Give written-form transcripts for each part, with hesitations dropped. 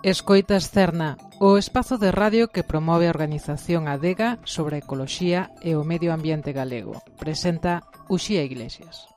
Escoitas Cerna, o espazo de radio que promove a organización Adega sobre a ecoloxía e o medio ambiente galego. Presenta Uxía Iglesias.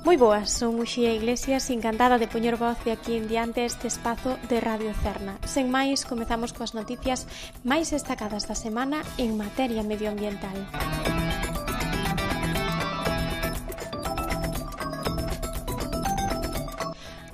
Moi boas, son Uxía Iglesias, encantada de poñer voz de aquí en diante este espazo de Radio Cerna. Sen máis, comezamos coas noticias máis destacadas da semana en materia medioambiental.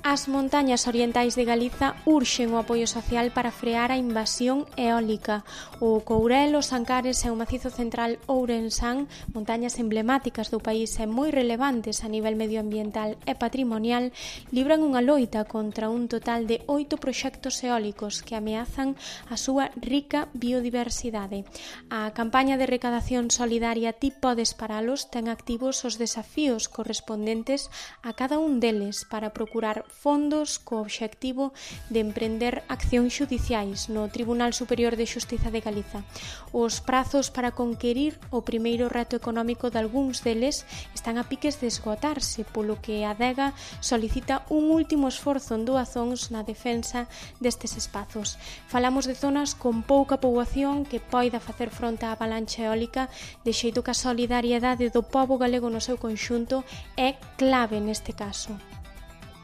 As montañas orientais de Galiza urxen o apoio social para frear a invasión eólica. O Courel, os Ancares e o Macizo Central Ourensán, montañas emblemáticas do país e moi relevantes a nivel medioambiental e patrimonial, libran unha loita contra un total de 8 proxectos eólicos que ameazan a súa rica biodiversidade. A campaña de recadación solidaria Ti podes paralos ten activos os desafíos correspondentes a cada un deles para procurar fondos co obxectivo de emprender accións xudiciais no Tribunal Superior de Xustiza de Galiza. Os prazos para conquerir o primeiro reto económico de algúns deles están a piques de esgotarse, polo que a Adega solicita un último esforzo en doazóns na defensa destes espazos. Falamos de zonas con pouca poboación que poida facer fronte á avalancha eólica, de xeito que a solidariedade do pobo galego no seu conxunto é clave neste caso.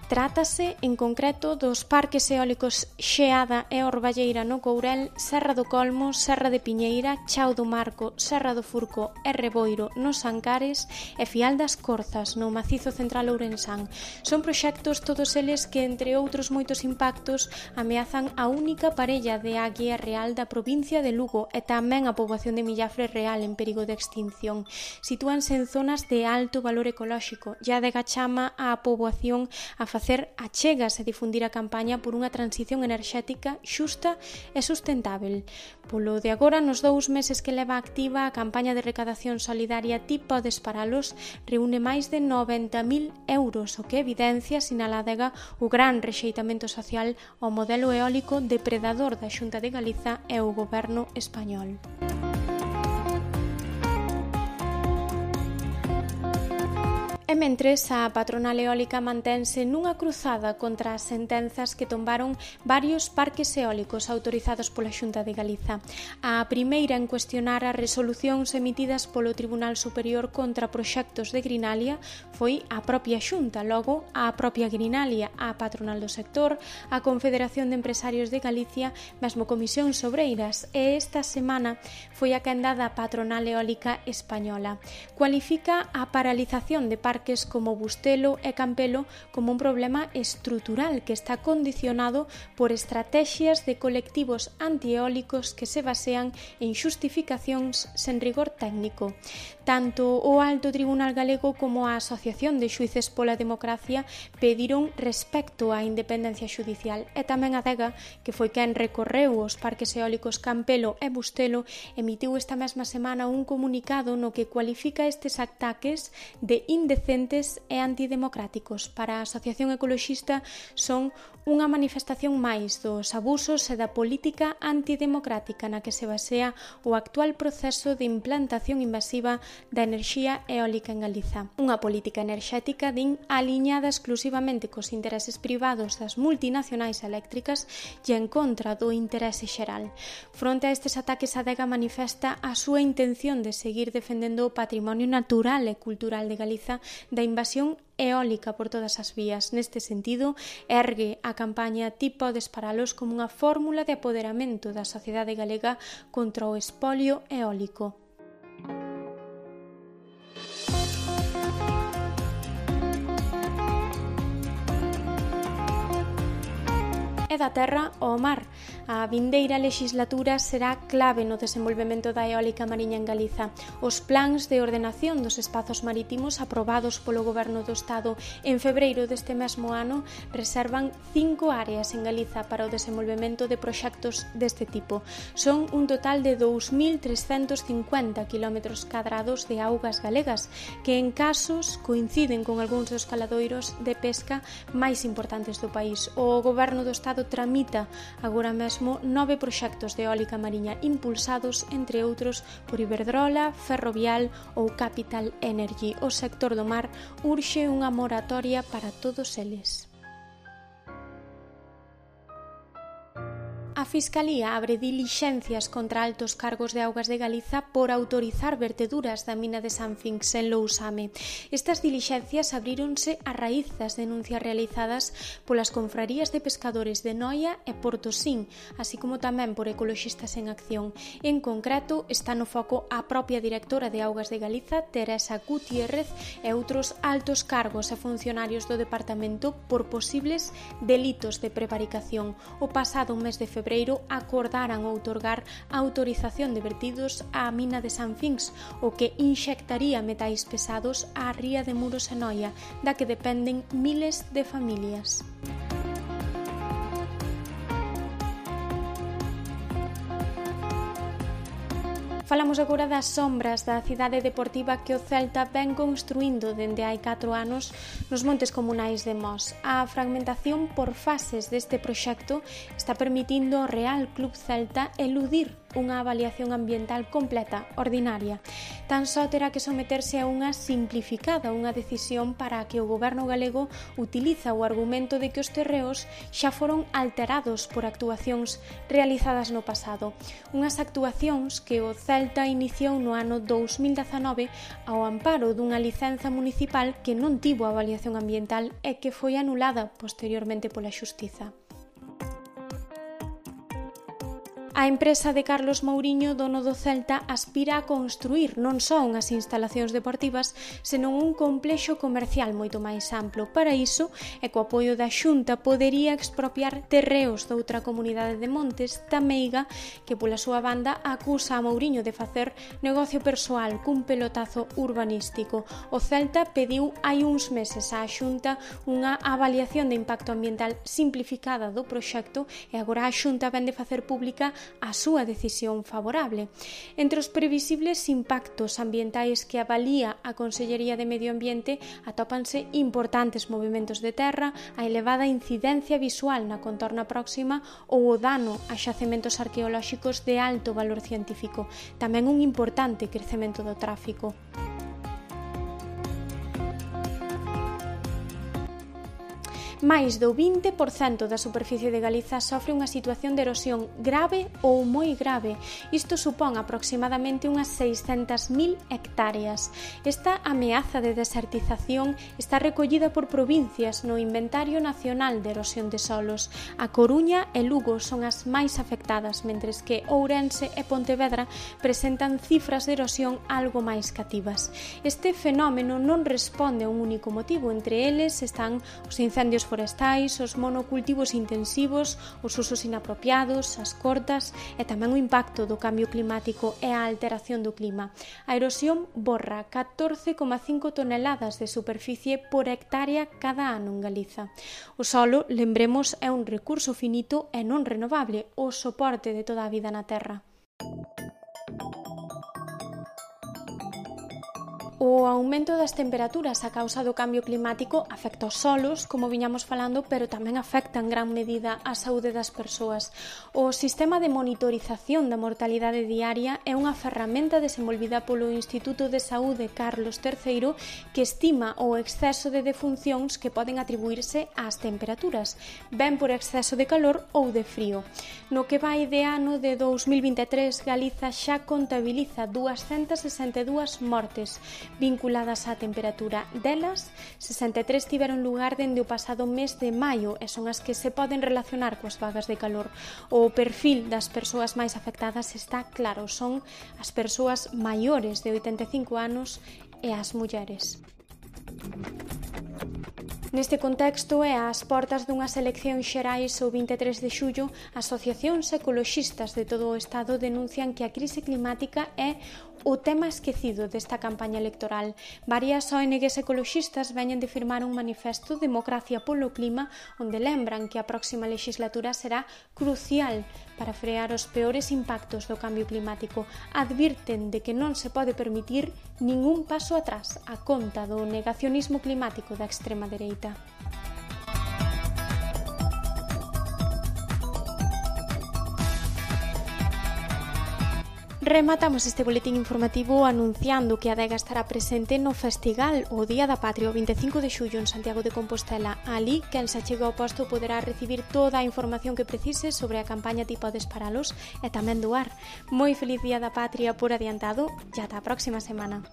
Trátase, en concreto, dos parques eólicos Xeada e Orballeira no Courel, Serra do Colmo, Serra de Piñeira, Chao do Marco, Serra do Furco e Reboiro nos Ancares e Fial das Corzas no Macizo Central Ourensán. Son proxectos todos eles que, entre outros moitos impactos, ameazan a única parella de águia real da provincia de Lugo e tamén a poboación de Millafre Real en perigo de extinción. Sitúanse en zonas de alto valor ecolóxico. Ya de chama a poboación a facer achegas e difundir a campaña por unha transición enerxética xusta e sustentável. Polo de agora, nos 2 meses que leva activa a campaña de recadación solidaria Ti podes paralos, reúne máis de 90.000 euros, o que evidencia, sinala Adega, o gran rexeitamento social ao modelo eólico depredador da Xunta de Galiza e o goberno español. E mentres, a patronal eólica mantense nunha cruzada contra as sentenzas que tombaron varios parques eólicos autorizados pola Xunta de Galiza. A primeira en cuestionar as resolucións emitidas polo Tribunal Superior contra proxectos de Grinalia foi a propia Xunta, logo a propia Grinalia, a patronal do sector, a Confederación de Empresarios de Galicia, mesmo Comisións Obreiras, e esta semana foi a quenda da patronal eólica española. Cualifica a paralización de parques como Bustelo e Campelo como un problema estrutural que está condicionado por estrategias de colectivos antieólicos que se basean en xustificacións sen rigor técnico. Tanto o Alto Tribunal Galego como a Asociación de Xuíces pola Democracia pediron respecto á independencia xudicial e tamén a Adega, que foi quen recorreu os parques eólicos Campelo e Bustelo, emitiu esta mesma semana un comunicado no que cualifica estes ataques de indecentes e antidemocráticos. Para a Asociación Ecoloxista son unha manifestación máis dos abusos e da política antidemocrática na que se basea o actual proceso de implantación invasiva da enerxía eólica en Galiza. Unha política enerxética, din, aliñada exclusivamente cos intereses privados das multinacionais eléctricas e en contra do interese xeral. Fronte a estes ataques, a Adega manifesta a súa intención de seguir defendendo o patrimonio natural e cultural de Galiza da invasión eólica por todas as vías. Neste sentido, ergue a campaña Ti podes paralos como unha fórmula de apoderamento da sociedade galega contra o espolio eólico. E da terra ao mar. A vindeira lexislatura será clave no desenvolvemento da eólica mariña en Galiza. Os plans de ordenación dos espazos marítimos aprobados polo Goberno do Estado en febreiro deste mesmo ano reservan 5 áreas en Galiza para o desenvolvemento de proxectos deste tipo. Son un total de 2.350 km² de augas galegas, que en casos coinciden con algúns dos caladoiros de pesca máis importantes do país. O Goberno do Estado tramita agora mesmo mesmo 9 proxectos de eólica mariña impulsados, entre outros, por Iberdrola, Ferrovial ou Capital Energy. O sector do mar urxe unha moratoria para todos eles. A Fiscalía abre dilixencias contra altos cargos de Augas de Galiza por autorizar verteduras da mina de Sanfinx en Lousame. Estas dilixencias abríronse a raíz das denuncias realizadas polas confrarías de pescadores de Noia e Portosín, así como tamén por Ecoloxistas en Acción. En concreto, está no foco a propia directora de Augas de Galiza, Teresa Gutiérrez, e outros altos cargos e funcionarios do departamento por posibles delitos de prevaricación. O pasado mes de febreiro acordaran outorgar a autorización de vertidos á mina de Sanfinx, o que inxectaría metais pesados á ría de Muros e Noia, da que dependen miles de familias. Falamos agora das sombras da cidade deportiva que o Celta ven construindo dende hai 4 anos nos montes comunais de Mos. A fragmentación por fases deste proxecto está permitindo ao Real Club Celta eludir unha avaliación ambiental completa, ordinaria. Tan só terá que someterse a unha simplificada, unha decisión para a que o goberno galego utiliza o argumento de que os terreos xa foron alterados por actuacións realizadas no pasado. Unhas actuacións que o Celta iniciou no ano 2019 ao amparo dunha licenza municipal que non tivo avaliación ambiental e que foi anulada posteriormente pola Xustiza. A empresa de Carlos Mouriño, dono do Celta, aspira a construir non só unhas instalacións deportivas, senón un complexo comercial moito máis amplo. Para iso, e co apoio da Xunta, podería expropiar terreos doutra comunidade de montes, Tameiga, que pola súa banda acusa a Mouriño de facer negocio persoal cun pelotazo urbanístico. O Celta pediu hai uns meses á Xunta unha avaliación de impacto ambiental simplificada do proxecto e agora a Xunta vén de facer pública a súa decisión favorable. Entre os previsibles impactos ambientais que avalía a Consellería de Medio Ambiente atópanse importantes movimentos de terra, a elevada incidencia visual na contorna próxima ou o dano a xacementos arqueolóxicos de alto valor científico, tamén un importante crecemento do tráfico. máis do 20% da superficie de Galiza sofre unha situación de erosión grave ou moi grave. Isto supón aproximadamente unhas 600.000 hectáreas. Esta ameaza de desertización está recollida por provincias no Inventario Nacional de Erosión de Solos. A Coruña e Lugo son as máis afectadas, mentres que Ourense e Pontevedra presentan cifras de erosión algo máis cativas. Este fenómeno non responde a un único motivo, entre eles están os incendios forestais, os monocultivos intensivos, os usos inapropiados, as cortas e tamén o impacto do cambio climático e a alteración do clima. A erosión borra 14,5 toneladas de superficie por hectárea cada ano en Galiza. O solo, lembremos, é un recurso finito e non renovable, o soporte de toda a vida na Terra. O aumento das temperaturas a causa do cambio climático afecta os solos, como viñamos falando, pero tamén afecta en gran medida a saúde das persoas. O sistema de monitorización da mortalidade diaria é unha ferramenta desenvolvida polo Instituto de Saúde Carlos III que estima o exceso de defuncións que poden atribuirse ás temperaturas, ben por exceso de calor ou de frío. No que vai de ano de 2023, Galiza xa contabiliza 262 mortes vinculadas á temperatura. Delas, 63 tiveron lugar dende o pasado mes de maio e son as que se poden relacionar coas vagas de calor. O perfil das persoas máis afectadas está claro, son as persoas maiores de 85 anos e as mulleres. Neste contexto e ás portas dunhas eleccións xerais o 23 de xullo, asociacións ecoloxistas de todo o Estado denuncian que a crise climática é o tema esquecido desta campaña electoral. Varias ONGs ecoloxistas veñen de firmar un manifesto Democracia polo Clima, onde lembran que a próxima legislatura será crucial para frear os peores impactos do cambio climático. Advirten de que non se pode permitir ningún paso atrás a conta do negacionismo climático da extrema dereita. Rematamos este boletín informativo anunciando que a Adega estará presente no Festival o Día da Patria, o 25 de xullo en Santiago de Compostela. Ali, quen se achegue ao posto poderá recibir toda a información que precise sobre a campaña tipo de disparalos e tamén doar. Moi feliz Día da Patria por adiantado e ata a próxima semana.